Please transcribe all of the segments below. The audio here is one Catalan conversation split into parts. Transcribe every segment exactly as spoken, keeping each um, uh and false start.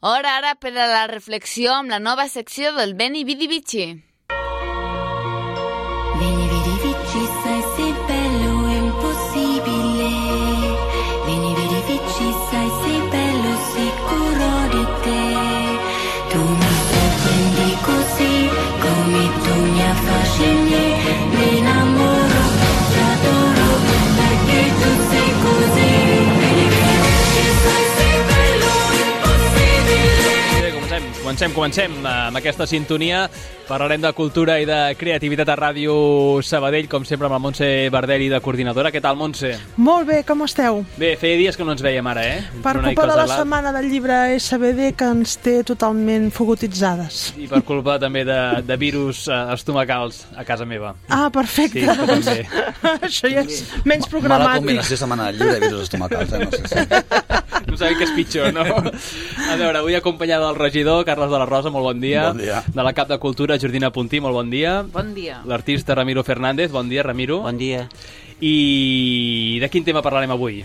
Hora ara per a la reflexió amb la nova secció del Veni Vidi Vici. Veni vidi vici, sai sei bello e impossibile. Veni vidi vici, sai sei bello sicuro di te. Tu mi sorprendi così, come tu mi affascini. Mi innamoro, ti adoro, perché tu sei così. Veni vidi vici, sai sei bello e impossibile. Bé, comencem, comencem, comencem amb aquesta sintonia. Parlarem de cultura i de creativitat a Ràdio Sabadell, com sempre amb la Montse Bardelli de coordinadora. Què tal, Montse? Molt bé, com esteu? Bé, feia dies que no ens veiem ara, eh? Per culpa de la setmana del llibre S B D que ens té totalment fogotitzades. I per culpa també de, de virus eh, estomacals a casa meva. Ah, perfecte. Sí, també. Això ja és menys Mala programàtic. combinació setmana del llibre i virus estomacals, eh? No sé si... No sabem què és pitjor, no? A veure, avui acompanyada del regidor, Carles de la Rosa, molt bon dia. Bon dia. De la cap de Cultura, Jordina Puntí, molt bon dia. Bon dia. L'artista Ramiro Fernández, bon dia, Ramiro. Bon dia. I de quin tema parlarem avui?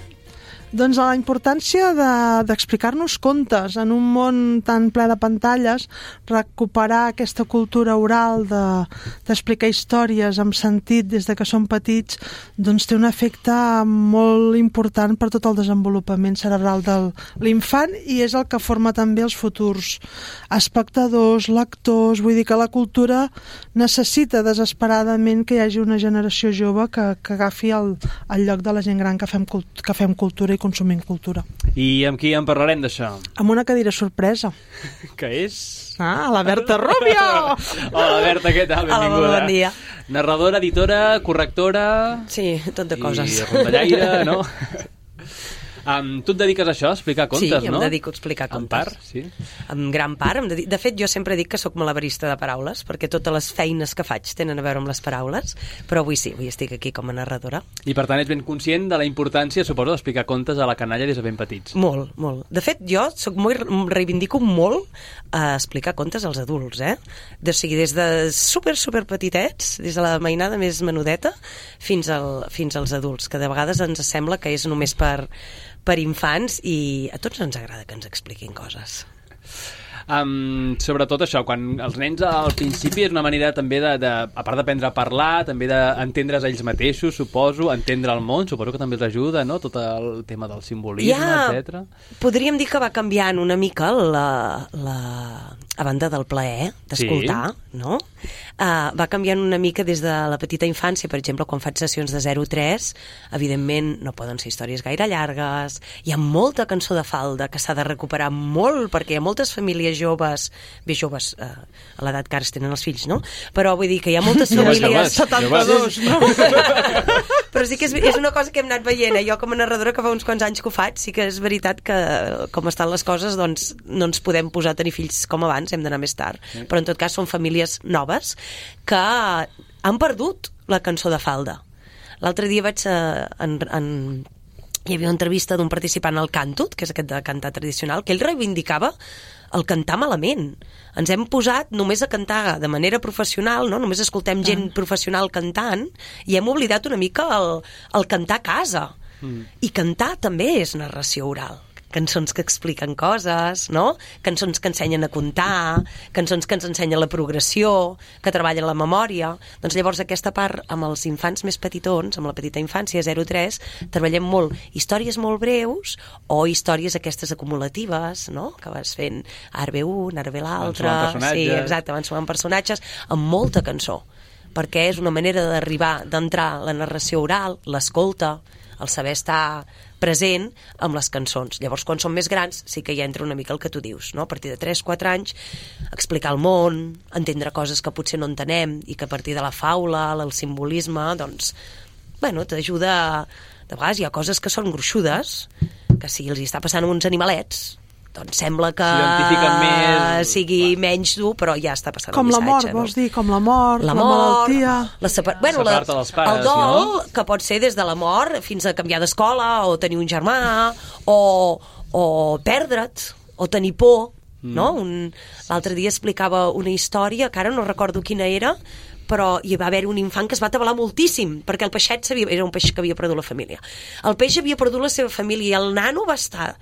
Doncs a la importància de- d'explicar-nos contes en un món tan ple de pantalles, recuperar aquesta cultura oral de- d'explicar històries amb sentit des de que som petits, doncs té un efecte molt important per tot el desenvolupament cerebral de l'infant i és el que forma també els futurs espectadors, lectors. Vull dir que la cultura necessita desesperadament que hi hagi una generació jove que, que agafi el, el lloc de la gent gran que fem, cult- que fem cultura i consumim cultura. I amb qui en parlarem d'això? Amb una cadira sorpresa. Que és... Ah, la Berta Rubio! Hola, Berta, què tal? Hola, Benvinguda. bon dia. Narradora, editora, correctora... Sí, tot de coses. I rondallaire, no? Um, tu et dediques a això, a explicar contes, sí, no? em dedico a explicar contes. En part, sí. En gran part. Em dedico... De fet, jo sempre dic que sóc malabarista de paraules, perquè totes les feines que faig tenen a veure amb les paraules, però avui sí, avui estic aquí com a narradora. I per tant ets ben conscient de la importància, suposo, d'explicar contes a la canalla des de ben petits. Molt, molt. De fet, jo soc molt, reivindico molt a explicar contes als adults, eh? De, o sigui, des de super, super petitets, des de la mainada més menudeta, fins, al, fins als adults, que de vegades ens sembla que és només per per infants i a tots ens agrada que ens expliquin coses. Um, sobretot això, quan els nens al principi és una manera també de, de a part d'aprendre a parlar, també d'entendre's ells mateixos, suposo, entendre el món, suposo que també els ajuda, no?, tot el tema del simbolisme, ja, etcètera. Podríem dir que va canviant una mica la, la, a banda del plaer d'escoltar, sí. no? Uh, va canviant una mica des de la petita infància, per exemple, quan faig sessions de zero a tres, evidentment no poden ser històries gaire llargues, hi ha molta cançó de falda que s'ha de recuperar molt, perquè hi ha moltes famílies joves, bé, joves eh, a l'edat que ara es tenen els fills, no? Però vull dir que hi ha moltes Joves, famílies... joves, setanta-dos, no? Però sí que és, és una cosa que hem anat veient, eh? Jo com a narradora que fa uns quants anys que ho faig, sí que és veritat que com estan les coses, doncs no ens podem posar a tenir fills com abans, hem d'anar més tard. Sí. Però en tot cas són famílies noves que han perdut la cançó de falda. L'altre dia vaig eh, en, en hi havia una entrevista d'un participant al Cantut, que és aquest de cantar tradicional, que ell reivindicava el cantar malament. Ens hem posat només a cantar de manera professional, no? Només escoltem gent professional cantant i hem oblidat una mica el, el cantar a casa. Mm. I cantar també és narració oral. Cançons que expliquen coses, no? Cançons que ensenyen a comptar, cançons que ens ensenyen la progressió, que treballen la memòria. Doncs llavors aquesta part amb els infants més petitons, amb la petita infància, zero a tres, treballem molt històries molt breus o històries aquestes acumulatives, no? Que vas fent ara ve un, ara ve l'altre. Sí, exacte, van sumant personatges amb molta cançó, perquè és una manera d'arribar, d'entrar la narració oral, l'escolta, el saber estar present amb les cançons. Llavors, quan som més grans, sí que ja entra una mica el que tu dius, no? A partir de tres quatre anys, explicar el món, entendre coses que potser no entenem i que a partir de la faula, el simbolisme, doncs, bueno, t'ajuda... De vegades hi ha coses que són gruixudes, que si els hi està passant a uns animalets, doncs sembla que més... sigui menys dur, però ja està passant com el missatge. Com la mort, no? vols dir? Com la mort, la, la mort, malaltia... La separ... bueno, la, dels pares, el dol, no? Que pot ser des de la mort fins a canviar d'escola, o tenir un germà, o, o perdre't, o tenir por, mm. no? Un... L'altre dia explicava una història, que ara no recordo quina era, però hi va haver un infant que es va atabalar moltíssim, perquè el peixet sabia, era un peix que havia perdut la família. El peix havia perdut la seva família i el nano va estar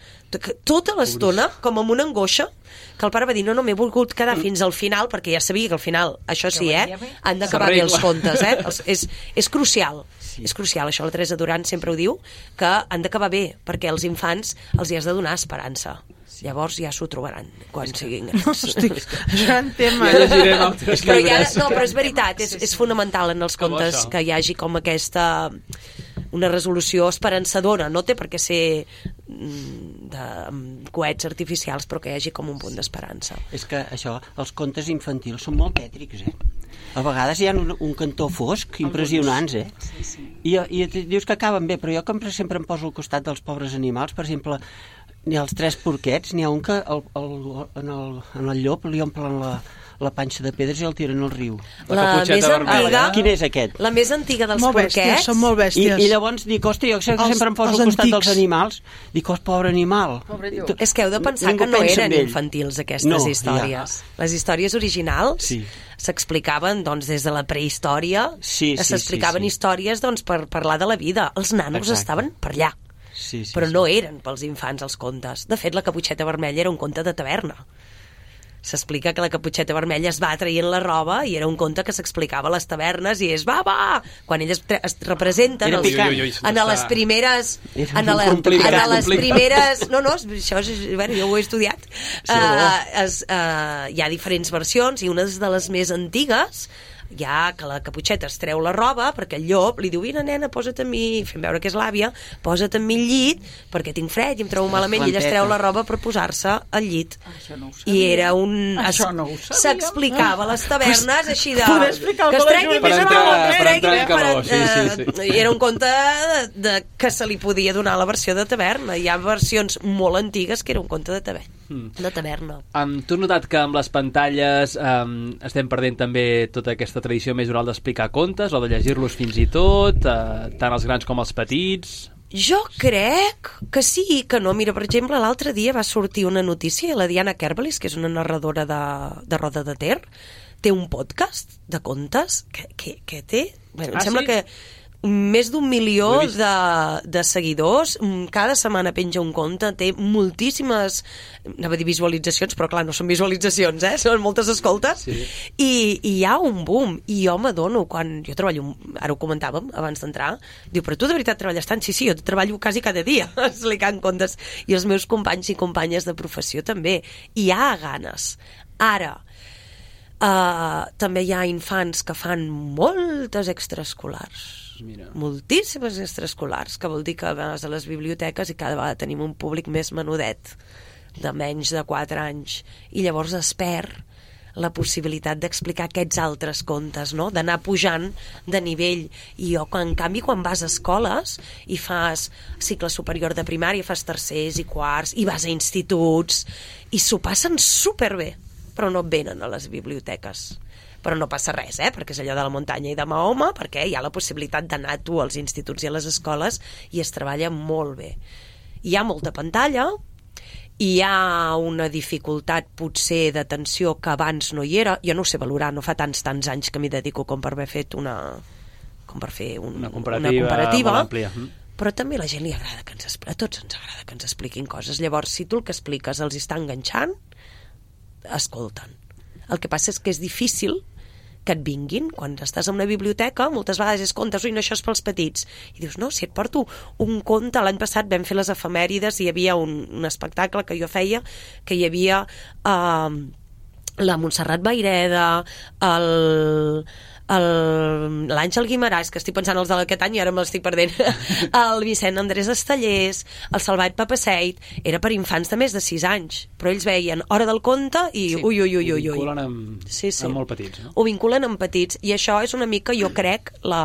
tota l'estona com amb una angoixa, que el pare va dir, no, no, m'he volgut quedar fins al final, perquè ja sabia que al final, això sí, eh, han d'acabar bé els contes, eh? Els, és, és crucial, sí. és crucial, això la Teresa Duran sempre ho diu, que han d'acabar bé, perquè als infants els hi has de donar esperança. Sí. Llavors ja s'ho trobaran quan siguin grans. Hosti, gran tema. Ja llegirem altres però ja, llibres. no, però és veritat, és, és fonamental en els Com contes això. que hi hagi com aquesta una resolució esperançadora, no té per què ser de amb coets artificials, però que hi hagi com un punt d'esperança. És que això, els contes infantils són molt tètrics, eh? A vegades hi ha un, un cantó fosc impressionants, eh? Sí, sí. I, i dius que acaben bé, però jo com sempre em poso al costat dels pobres animals, per exemple, n'hi ha els tres porquets, n'hi ha un que el, el, en, el, en el llop li omplen la, la panxa de pedres i el tiren al riu. La La caputxeta més vermella. antiga, Quin és aquest? la més antiga dels Molt bèsties, porquets, són molt I, bèsties. I llavors dic, ostres, jo sempre, Els- sempre em poso els al costat antics. dels animals, dic, os, pobre animal. Tu- és que heu de pensar ningú que no pensa en eren ell. infantils aquestes No, històries. Les històries originals Sí. s'explicaven doncs, des de la prehistòria, Sí, sí, s'explicaven sí, sí. històries doncs, per parlar de la vida. Els nanos Exacte. estaven per allà, Sí, sí, però sí. no eren pels infants els contes. De fet, la Caputxeta Vermella era un conte de taverna. S'explica que la Caputxeta Vermella es va traient la roba i era un conte que s'explicava a les tavernes i és va, va! Quan elles tre- es representen Era els, picant. Ui, ui, ui, en està- les primeres Era en, la, complicat, en les complicat. primeres no, no, això és, bueno, jo ho he estudiat uh, es, uh, hi ha diferents versions i una de les més antigues ja que la Caputxeta es treu la roba perquè el llop li diu, vine nena, posa't amb mi, fent veure que és l'àvia, posa't amb mi al llit perquè tinc fred i em trobo malament i ella es treu la roba per posar-se al llit. Això no ho I era un... Això no ho sabia. S'explicava a les tavernes així de... Poder explicar que es el que tregui la més Júlia- roba, Per que es entrar- tregui per més... entrar en calor, sí, sí, sí. eh, Era un conte de, de, que se li podia donar la versió de taverna. Hi ha versions molt antigues que era un conte de taverna. De taverna. Um, tu has notat que amb les pantalles um, estem perdent també tota aquesta tradició més oral d'explicar contes o de llegir-los fins i tot, uh, tant els grans com els petits? Jo crec que sí i que no. Mira, per exemple, l'altre dia va sortir una notícia, la Diana Kerbelis, que és una narradora de, de Roda de Ter, té un podcast de contes que, que, que té... Bueno, em Ah, sembla sí? que més d'un milió Ho he vist. de, de seguidors, mm, cada setmana penja un conte, té moltíssimes, anava a dir visualitzacions, però clar, no són visualitzacions, eh? Són moltes escoltes, Sí. i, i hi ha un boom, i jo m'adono, quan jo treballo, ara ho comentàvem abans d'entrar, diu, però tu de veritat treballes tant? Sí, sí, jo treballo quasi cada dia explicant contes, i els meus companys i companyes de professió també, hi ha ganes. Ara, Uh, també hi ha infants que fan moltes extraescolars. Mira. Moltíssimes extraescolars, que vol dir que vas a les biblioteques i cada vegada tenim un públic més menudet, de menys de quatre anys, i llavors es perd la possibilitat d'explicar aquests altres contes, no? D'anar pujant de nivell. I jo, en canvi, quan vas a escoles i fas cicle superior de primària, fas tercers i quarts, i vas a instituts, i s'ho passen superbé, però no venen a les biblioteques. Però no passa res, eh? Perquè és allò de la muntanya i de Mahoma, perquè hi ha la possibilitat d'anar tu als instituts i a les escoles i es treballa molt bé. Hi ha molta pantalla, hi ha una dificultat potser d'atenció que abans no hi era, jo no ho sé valorar, no fa tants tants anys que m'hi dedico com per haver fet una com per fer un, Una comparativa, una comparativa molt àmplia. però també a la gent li agrada que ens expli- a tots ens agrada que ens expliquin coses. Llavors, si tu el que expliques els està enganxant, escolten. El que passa és que és difícil que et vinguin. Quan estàs a una biblioteca, moltes vegades és contes, ui, no, això és pels petits. I dius, no, si et porto un conte, l'any passat vam fer les efemèrides i hi havia un, un espectacle que jo feia, que hi havia eh, la Montserrat Vaireda, el... el- l'Àngel Guimaràs, que estic pensant els d'aquest any i ara me l'estic perdent, el Vicent Andrés Estellers, el Salvat Papaseit, era per infants de més de sis anys, però ells veien Hora del Conte i Sí, ui, ui, ui, ho ui, ui. vinculen amb, Sí, sí. amb molt petits, no? Ho vinculen amb petits, i això és una mica, jo crec, la,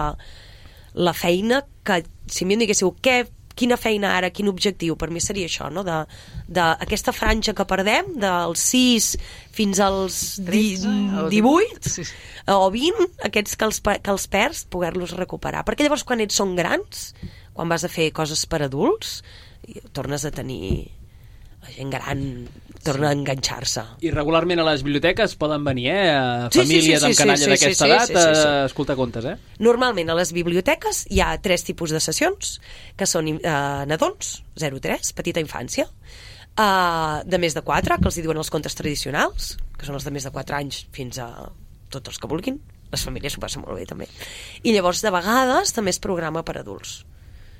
la feina que, si a mi em diguéssiu, què, quina feina ara, quin objectiu, per mi seria això, no? de, de aquesta franja que perdem, dels sis fins als di, divuit Sí. o vint, aquests que els, pe- que els perds, poder-los recuperar. Perquè llavors quan ets són grans, quan vas a fer coses per adults, i tornes a tenir la gent gran torna a enganxar-se. I regularment a les biblioteques poden venir, eh? Sí, sí, Famílies sí, sí, amb canalla sí, d'aquesta sí, sí, edat sí, sí, sí. a escoltar contes, eh? Normalment a les biblioteques hi ha tres tipus de sessions, que són eh, nadons, zero tres, petita infància, eh, de més de quatre, que els hi diuen els contes tradicionals, que són els de més de quatre anys fins a tots els que vulguin, les famílies s'ho passen molt bé també, i llavors de vegades també es programa per adults,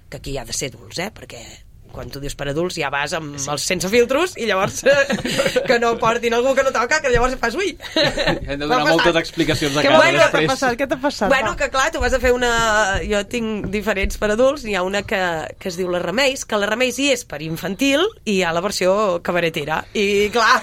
que aquí hi ha de ser adults, eh? Perquè quan tu dius per adults ja vas amb sí. els sense filtros i llavors que no portin algú que no toca, que llavors fas ui hem de donar moltes explicacions a Què, casa bueno, després. què t'ha passat? Què t'ha passat? Bueno, que clar, tu vas a fer una... Jo tinc diferents per adults, hi ha una que, que es diu La Remeis, que La Remeis hi és per infantil i hi ha la versió cabaretera. I clar,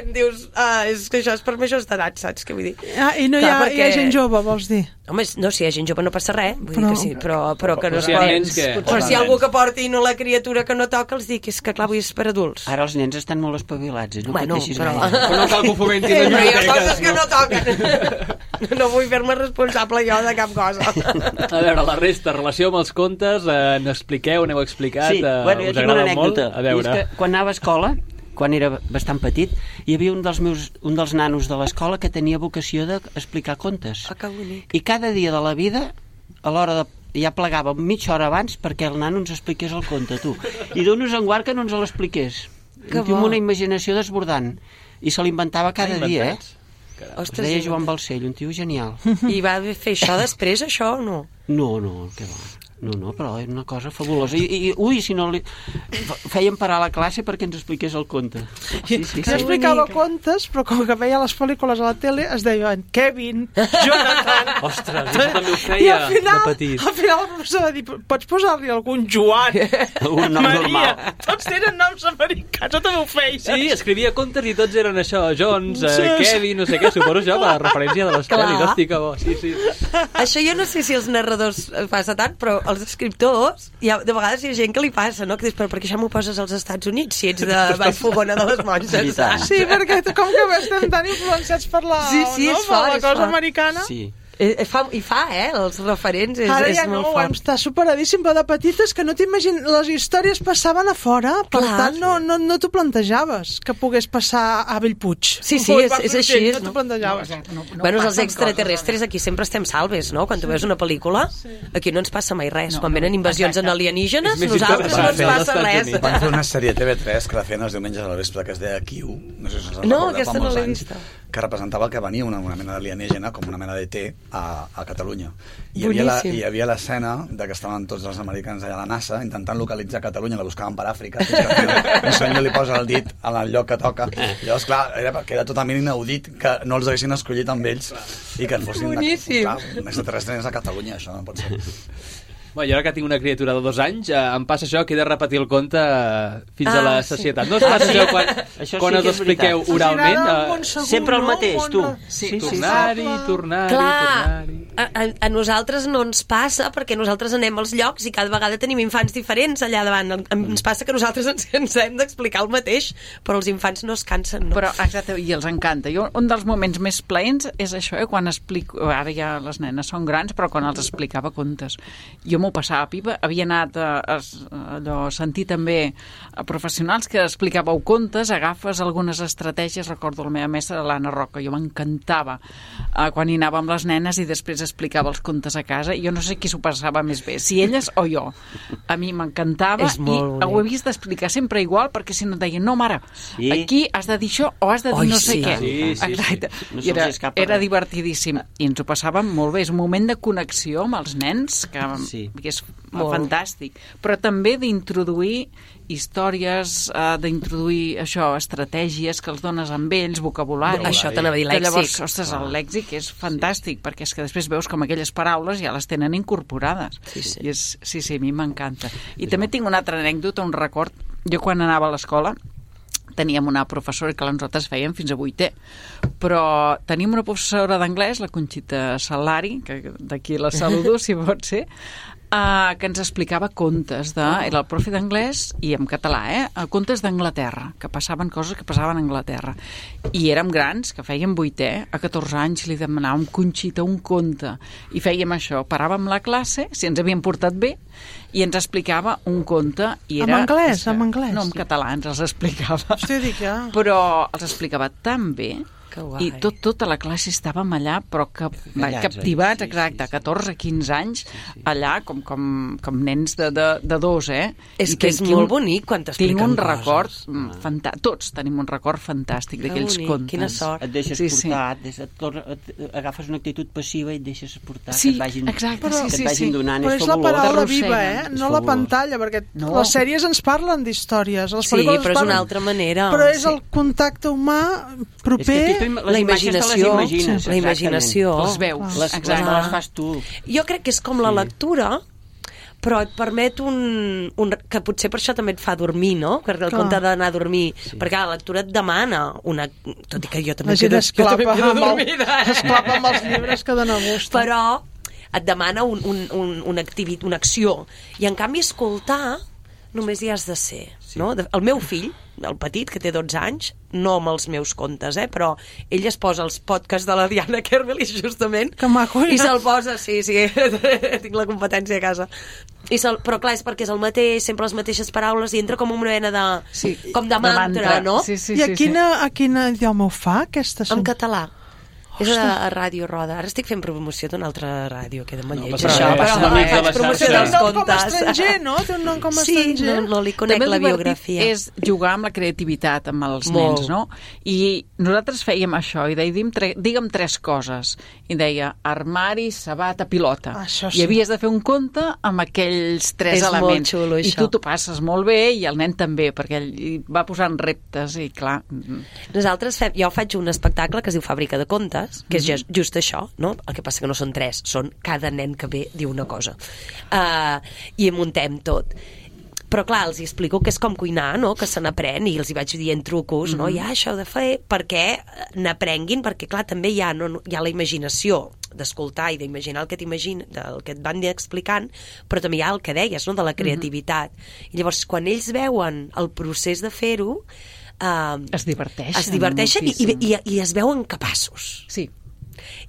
dius, ah, és que això és per majors d'edat, saps què vull dir? Ah, I no hi Clar, ha, perquè... hi ha gent jove, vols dir? Home, no, si hi ha gent jove no passa res, vull Però- dir que sí, però, però que no Però es si hi ha pot. nens que- Però si hi ha algú que porti no la criatura que no toca, els dic, és que clar, vull és per adults. Ara els nens estan molt espavilats, eh? No Bueno, pateixis però- gaire. Però no cal que ho fomentin les Però hi ha biblioteques. coses que no toquen. No vull fer-me responsable jo de cap cosa. A veure, la resta, relació amb els contes, eh, n'expliqueu, n'heu explicat, Sí, eh, bueno, jo us tinc una agrada molt? anècdota. A veure. I és que quan anava a escola, quan era bastant petit, hi havia un dels, meus, un dels nanos de l'escola que tenia vocació d'explicar contes. Ah, que bonic. I cada dia de la vida, a l'hora de ja plegava mitja hora abans perquè el nano ens expliqués el conte, tu. I donos en guard que no ens l'expliqués. Que Tinc bo. una imaginació desbordant. I se l'inventava cada Ah, dia, eh? inventats. Es Ostres, deia i- Joan Balcell, un tio genial. I va fer això després, això, o no? No, no, què va. No, no, però era una cosa fabulosa. I, i ui, si no li... Fèiem parar la classe perquè ens expliqués el conte. Sí, sí, Jo sí. explicava contes, però com que veia les pel·lícules a la tele es deien Kevin, Jonathan... Ostres, jo també ho I feia al final, de petit. al final el professor va dir, pots posar-li algun Joan? Un nom normal. Tots tenen noms americans, jo també ho feia. Sí, escrivia contes i tots eren això, Jones, eh, Sí, sí. Kevin, no sé què, suposo jo, per la referència de les Clar. pel·lis. Hosti, que bo, sí, sí. Això jo no sé si els narradors eh, passa tant, però els escriptors, hi ha, de vegades hi ha gent que li passa, no? Que dius, però per què això m'ho poses als Estats Units si ets de Vallfogona de les Monges? I tant. Sí, perquè com que estem tan influenciats per la, Sí, sí, no? és per fort, la és cosa fort. americana. Sí. Eh, eh, fa, I fa, eh? Els referents és, Ara és ja no, molt fort. està superadíssim, però de petites que no t'imagines... Les històries passaven a fora, per Clar. tant no, no, no t'ho plantejaves que pogués passar a Bellpuig. Sí, sí, Ui, és- va, és no així, sé, és, No no? t'ho plantejaves. No, no Bueno, els passen extraterrestres coses, aquí sempre estem salves, no? Quan tu veus una pel·lícula, aquí no ens passa mai res. No, Quan no, venen invasions exacte. en alienígenes, És més nosaltres no ens interessant als passa Estats res. Units. Van fer una sèrie T V tres que la feien els diumenges al vespre que es deia Q, no sé si us en No, recordeu, aquesta fa no molts l'he anys, vista. que representava que venia una, una mena d'alienígena, com una mena d'E T a, a Catalunya. I hi havia la- Boníssim. hi havia l'escena de que estaven tots els americans allà a la NASA intentant localitzar Catalunya, la buscaven per Àfrica, fins que al final un senyor li posa el dit en el lloc que toca. I llavors, clar, era, perquè era totalment inaudit que no els haguessin escollit amb ells i que fossin... Boníssim. Clar, un extraterrestre és a Catalunya, això no pot ser. Bueno, jo ara que tinc una criatura de dos anys, eh, em passa això que he de repetir el conte eh, fins Ah, a la sí. societat. No us passa això quan, Això sí quan que us és expliqueu veritat. oralment? Amb un Eh, segon, Sempre el no? mateix, tu. Un- Sí, sí, sí. tornar-hi, tornar-hi, Clar, tornar-hi... a, a, a nosaltres no ens passa perquè nosaltres anem als llocs i cada vegada tenim infants diferents allà davant. Ens passa que nosaltres ens, ens hem d'explicar el mateix, però els infants no es cansen. No? Però, exacte, i els encanta. Jo, un dels moments més plaents és això, eh, quan explico... Ara ja les nenes són grans, però quan els explicava contes. Jo m'ho passava pipa. Havia anat a, a, allò, a sentir també a professionals que explicàveu contes, agafes algunes estratègies. Recordo la meva mestra, l'Anna Roca, jo m'encantava eh, quan hi anava amb les nenes i després explicava els contes a casa. Jo no sé qui s'ho passava més bé, si elles o jo. A mi m'encantava És i molt ho he bonic. vist explicar sempre igual, perquè si no et deien, no, mare, Sí. aquí has de dir això o has de dir Oi, no sé sí. què. Sí, sí, sí. Exacte. No I era, se'ls escapa era res. divertidíssim. I ens ho passàvem molt bé. És un moment de connexió amb els nens que, Sí. que és Molt. fantàstic. Però també d'introduir històries, eh, d'introduir això, estratègies que els dones amb ells, vocabulari. Això t'anava a dir, Que llavors, lèxic. ostres, el lèxic és fantàstic, perquè és que després veus com aquelles paraules ja les tenen incorporades. Sí, sí. I és, sí, sí, a mi m'encanta. I també tinc una altra anècdota, un record. Jo quan anava a l'escola teníem una professora que nosaltres fèiem fins a vuitè, però teníem una professora d'anglès, la Conxita Salari, que d'aquí la saludo, si pot ser, Uh, que ens explicava contes de... Era el profe d'anglès i en català, eh? Contes d'Anglaterra, que passaven coses que passaven a Anglaterra. I érem grans, que fèiem vuitè, a catorze anys li demanàvem Conxita un conte. I fèiem això, paràvem la classe, si ens havien portat bé, i ens explicava un conte. I era, en anglès, en anglès? No, en català ens els explicava. Hosti, dic, ja. Però els explicava tan bé. Que guai. I tot, tota la classe estàvem allà, però que, Callats, captivats, eh? Sí, exacte, sí, sí. catorze quinze anys, allà com, com, com nens de, de, de dos, eh? És I que és tinc molt un- bonic quan t'expliquen Tinc un coses. record, mm, fanta... tots tenim un record fantàstic Que d'aquells bonic, contes. quina sort. Et deixes Sí, sí. portar, et, deixes, et, tor- et, agafes una actitud passiva i et deixes portar, Sí, que et vagin, exacte, que sí, et sí, vagin sí. donant. Però és la fabulós. paraula T'arrosseguen. viva, eh? És No la fabulós. pantalla, perquè No. les sèries ens parlen d'històries. les Sí, pel·lícules però és parlen- una altra manera. Però és Sí. el contacte humà proper... És que aquí tu, La les imatges te les imaginació, imagines, la imaginació. Les veus, Les, les, exacte. les fas tu. Jo crec que és com la lectura, però et permet un, un... que potser per això també et fa dormir, no? Perquè el Clar. compte d'anar a dormir. Sí. Perquè la lectura et demana una... Tot i que jo també La gent quedo, es jo també clapa, quedo amb el, dormida. Eh? es clapa amb els llibres que dona gust. Però et demana un, un, un, una, activitat, una acció. I en canvi escoltar només hi has de ser. Sí. No? El meu fill, el petit, que té dotze anys, no amb els meus contes, eh? Però ell es posa els podcasts de la Diana Kerbelis, justament, Que maco, i ja. se'l posa, sí, sí, tinc la competència a casa. I se'l, però clar, és perquè és el mateix, sempre les mateixes paraules, i entra com una mena de... Sí, com de mantra, no? Sí, sí, I a sí, quina, a quina idioma ho fa, aquesta? En català. És a, a Ràdio Roda. Ara estic fent promoció d'una altra ràdio, queda molt No lleig, passa això, res, però és l'amic de faig la promoció xarxa. dels Té un nom com a contes. estranger, no? Té un nom com a Sí, estranger. no, no li conec També la el divertit biografia. és jugar amb la creativitat amb els Molt. nens, no? I nosaltres fèiem això, i deia, digue'm, tre digue'm tres coses. I deia, armari, sabata, pilota. Això sí. I havies de fer un conte amb aquells tres És molt elements. xulo, I això. tu t'ho passes molt bé, i el nen també, perquè ell hi va posant reptes, i clar... Nosaltres fem, jo faig un espectacle que es diu Fàbrica de Contes, que és Mhm. just, just això, no? El que passa que no són tres, són cada nen que ve diu una cosa. Uh, I muntem tot. Però clar, els hi explico que és com cuinar, no? Que se n'aprèn, i els hi vaig dient trucos, no? Ja, això heu de fer, perquè n'aprenguin, perquè clar, també hi ha, no, hi ha la imaginació d'escoltar i d'imaginar el que t'imagina, del que et van explicant, però també hi ha el que deies, no? De la creativitat. I llavors, quan ells veuen el procés de fer-ho, uh, Es diverteixen. es diverteixen i, moltíssim. i, i, i es veuen capaços. Sí.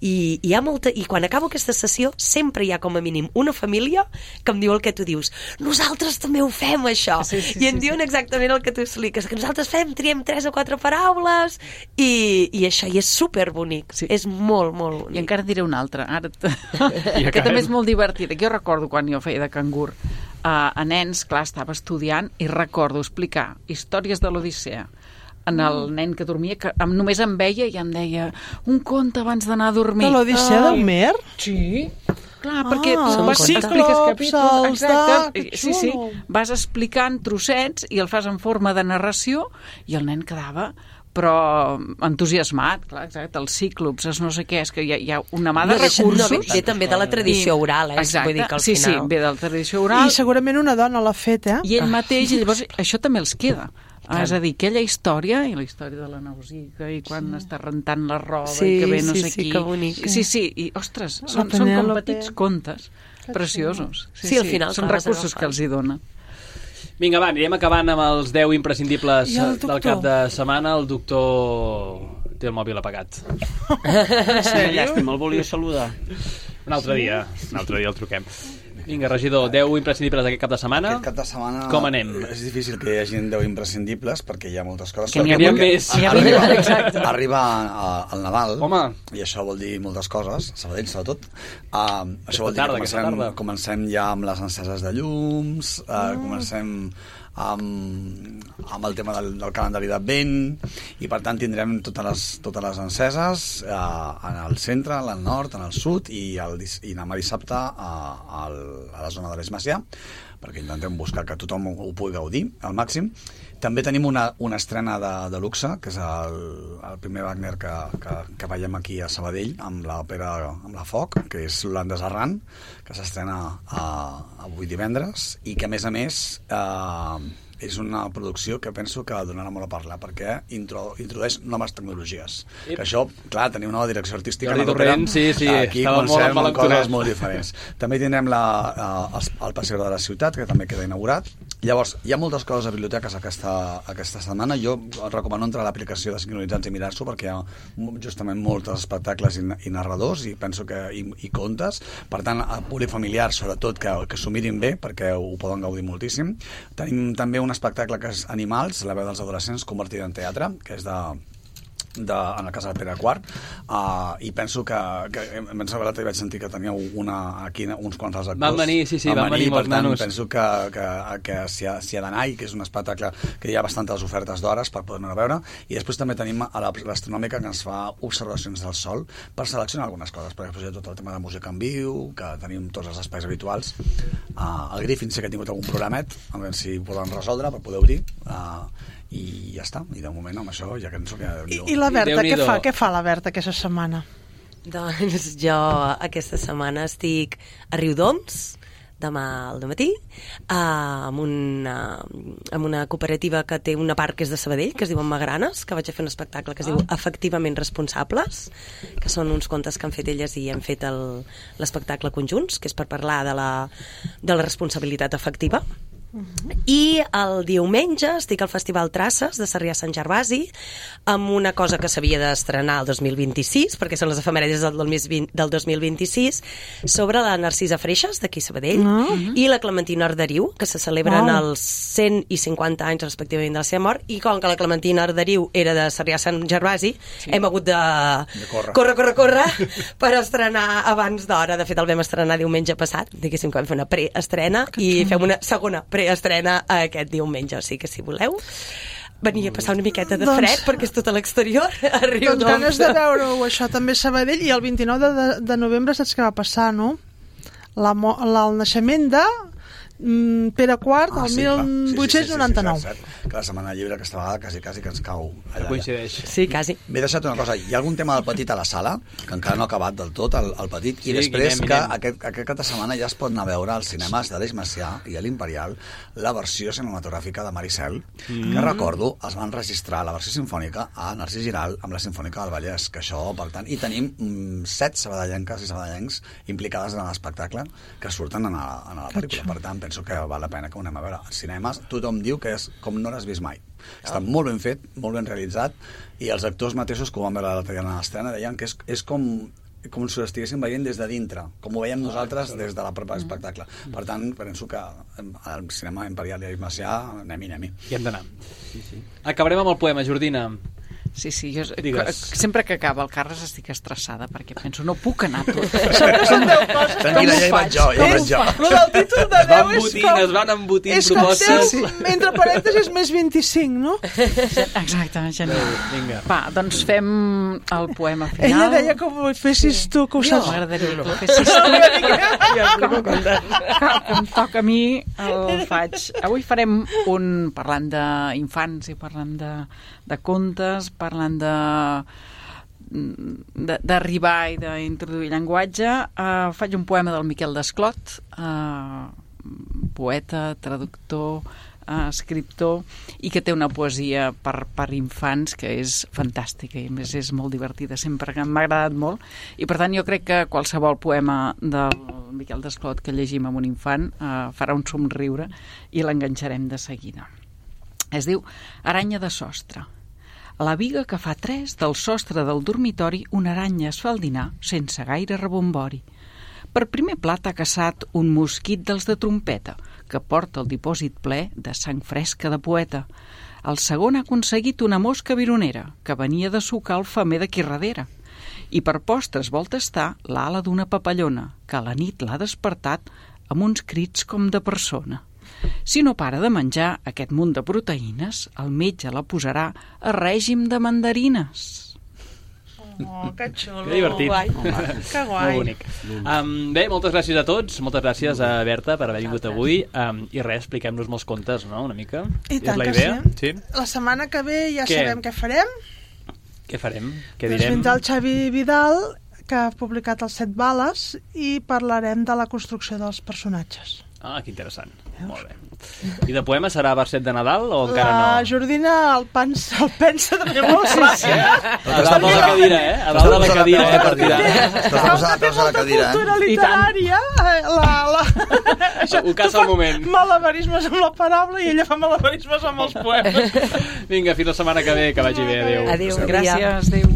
I, i, hi ha molta, i quan acabo aquesta sessió sempre hi ha com a mínim una família que em diu el que tu dius, nosaltres també ho fem això, Sí, sí, i em sí, diuen exactament el que tu expliques, que nosaltres fem, triem tres o quatre paraules i, i això, i és superbonic, Sí. és molt, molt bonic. I encara et diré una altra, ara t... I que acabem. també és molt divertida, que jo recordo quan jo feia de cangur. Uh, a nens, clar, estava estudiant i recordo explicar històries de l'Odissea en el nen que dormia, que em, només em veia i em deia un conte abans d'anar a dormir. De l'Odissea Ai, d'Homer? Sí, clar, perquè Ah, tu vas els expliques ciclops, capítols, els exacte, de- que sí, sí, xulo. vas explicant trossets i el fas en forma de narració i el nen quedava però entusiasmat, clar, exacte, els cíclops, els no sé què, és que hi ha, hi ha una mà de No, deixa- recursos. no, ve, ve també de la tradició I- oral, eh? Exacte, Vull dir que al sí, final... sí, ve de la tradició oral I segurament una dona l'ha fet, eh? i ell mateix, i llavors això també els queda. Ah, és a dir, aquella història, i la història de la Nausica, i quan sí. està rentant la roba, Sí, i que ve no sí, sé sí, qui. que bonic. Sí, sí, i ostres, són, són com Penèlope. petits contes preciosos. Sí, al final són clar, vas recursos que agafant. els hi dona. Vinga, va, anirem acabant amb els deu imprescindibles I el del doctor? cap de setmana. El doctor té el mòbil apagat. Llàstima, el volia saludar. Un altre dia, un altre dia el truquem. Vinga, regidor, deu imprescindibles d'aquest cap de setmana. Aquest cap de setmana... Com anem? És difícil que hi hagi deu imprescindibles perquè hi ha moltes coses. Que n'hi havia Perquè més. N'hi havia, Arriba, exacte. arriba a- el Nadal, Home. i això vol dir moltes coses, Sabadell sobretot. Uh, això vol dir tarda, que aquesta comencem, tarda. comencem ja amb les enceses de llums, uh, comencem amb, amb el tema del, del calendari d'Advent, i per tant tindrem totes les, totes les enceses uh, en el centre, en el nord, en el sud, i, el, dis- i demà dissabte a, a, a la zona de l'Eix Macià, perquè intentem buscar que tothom ho, ho pugui gaudir al màxim. També tenim una, una estrena de, de luxe, que és el, el primer Wagner que, que, que veiem aquí a Sabadell, amb l'òpera amb la Foc, que és l'Holandès Errant, que s'estrena a, avui divendres, i que a més a més eh, és una producció que penso que donarà molt a parlar, perquè intro, introdueix noves tecnologies. Yep. Que això, clar, tenim una nova direcció artística. Jordi Torrent, sí, sí, aquí estava molt, molt amb coses molt diferents. També tindrem la, el, el Passeig de la Ciutat, que també queda inaugurat. Llavors, hi ha moltes coses a biblioteques aquesta, aquesta setmana. Jo recomano entrar a l'aplicació de Sincronitzats i mirar-s'ho, perquè hi ha justament molts espectacles i, i narradors, i penso que i, i contes. Per tant, a públic familiar, sobretot, que, que s'ho mirin bé, perquè ho poden gaudir moltíssim. Tenim també un espectacle que és Animals, la veu dels adolescents convertida en teatre, que és de... De, en el cas del Pere Quart, uh, i penso que, que em sembla que vaig sentir que teníeu una, aquí uns quants dels actors. Van venir, sí, sí, van, van venir, venir molts tant, nanos. Penso que, que, que s'hi ha, ha d'anar, i que és un espectacle que hi ha bastantes ofertes d'hores per poder-ne veure, i després també tenim a l'Astronòmica, que ens fa observacions del sol per seleccionar algunes coses, perquè després hi ha tot el tema de música en viu, que tenim tots els espais habituals. Uh, el Griffin sí que ha tingut algun programet, a veure si ho poden resoldre per poder obrir, uh, i ja està, i de moment amb això ja que ens ho queda. I, i la Berta, què fa? Què fa la Berta aquesta setmana? Doncs jo aquesta setmana estic a Riudoms, demà al dematí, uh, amb, una, amb una cooperativa que té una part que és de Sabadell, que es diu Magranes, que vaig a fer un espectacle que es diu Efectivament Responsables, que són uns contes que han fet elles i hem fet l'espectacle conjunts, que és per parlar de la, de la responsabilitat efectiva. Uh-huh. I el diumenge estic al Festival Traces de Sarrià Sant Gervasi amb una cosa que s'havia d'estrenar el dos mil vint-i-sis, perquè són les efemèrides del, del dos mil vint-i-sis, sobre la Narcisa Freixas d'aquí Sabadell, uh-huh. i la Clementina Arderiu, que se celebren oh. els cent i cinquanta anys respectivament de la seva mort, i com que la Clementina Arderiu era de Sarrià Sant Gervasi, sí. hem hagut de, de córrer, córrer, córrer, córrer per estrenar abans d'hora. De fet, el vam estrenar diumenge passat, diguéssim que vam fer una preestrena i fem una segona preestrena estrena aquest diumenge, o sigui que si voleu venir a passar una miqueta de fred, doncs, perquè és tot a l'exterior, a Riudoms. Doncs ganes de veure-ho, això també a Sabadell, i el vint-i-nou de, de, de novembre saps què va passar, no? La, la, el naixement de mm, Pere Quart, ah, el sí, mil vuit-cents noranta-nou. Sí, sí, sí, sí, sí, que la Setmana Lliure aquesta vegada quasi, quasi que ens cau allà. Coincideix. Sí, quasi. M'he deixat una cosa, hi ha algun tema del Petit a la sala, que encara no ha acabat del tot, el, el Petit, sí, i després Guillem, que Guillem. Aquest, aquest cap de setmana ja es pot anar a veure als cinemes d'Aleix Macià i a l'Imperial la versió cinematogràfica de Maricel, mm. que recordo, es van registrar la versió sinfònica a Narcís Giral amb la Sinfònica del Vallès, que això, per tant, i tenim mm, set sabadellenques i sabadellencs implicades en l'espectacle que surten en la, en la pel·lícula. Per tant, penso que val la pena que ho anem a veure. Als cinemes tothom diu que és com no l'has vist mai. Està molt ben fet, molt ben realitzat, i els actors mateixos que ho van veure l'altre dia a l'estrena deien que és, és com, com si ho estiguéssim veient des de dintre, com ho veiem nosaltres des de la pròpia espectacle. Per tant, penso que al cinema Imperial i Aleix Macià anem-hi, anem-hi. Hi hem d'anar. Sí, sí. Acabarem amb el poema, Jordina. Sí, sí, jo Digues. sempre que acaba el Carles estic estressada perquè penso, no puc anar tot. Sempre són deu coses. Tranquil·la, ja hi vaig jo, ja hi vaig jo. Lo del títol de deu és com... Es van embotint és propostes. Com deu, entre parèntesis, més vint-i-cinc, no? Exactament, genial. Vinga. Va, doncs fem el poema final. Ella deia que ho fessis tu, que ho saps. M'agradaria que ho fessis tu. Com em toca a mi, el faig. Avui farem un parlant d'infants i parlant de, de contes, parlant de d'arribar i d'introduir llenguatge. Uh, faig un poema del Miquel Desclot, uh, poeta, traductor, uh, escriptor, i que té una poesia per, per infants que és fantàstica i a més és molt divertida, sempre que m'ha agradat molt, i per tant jo crec que qualsevol poema del Miquel Desclot que llegim amb un infant uh, farà un somriure i l'enganxarem de seguida. Es diu Aranya de sostre. A la viga que fa tres del sostre del dormitori una aranya es fa al dinar sense gaire rebombori. Per primer plat ha caçat un mosquit dels de trompeta que porta el dipòsit ple de sang fresca de poeta. El segon ha aconseguit una mosca vironera que venia de sucar el femer d'aquí darrere. I per postres vol tastar l'ala d'una papallona que a la nit l'ha despertat amb uns crits com de persona. Si no para de menjar aquest munt de proteïnes, el metge la posarà a règim de mandarines. Oh, que xulo. Que divertit. Guai. Que guai. Molt bonic. Um, bé, moltes gràcies a tots, moltes gràcies a Berta per haver vingut avui, um, i res, expliquem-nos molts contes, no?, una mica. I tant la que idea? sí. sí. La setmana que ve ja què? sabem què farem. Què farem? Què doncs direm? vindrà el Xavi Vidal, que ha publicat els Set Bales, i parlarem de la construcció dels personatges. Ah, que interessant. Molt bé. I de poema serà verset de Nadal o encara no? La Jordina el pensa, el pensa també molt fàcil. A dalt de la cadira, eh? A dalt de la cadira, eh? Per tirar. Estàs posant peus a la cadira, eh? Cultura literària, la... la... Ho caça al moment. Malabarismes amb la paraula i ella fa malabarismes amb els poemes. Vinga, fins la setmana que ve, que vagi bé. Adéu. Adéu. Gràcies, adéu.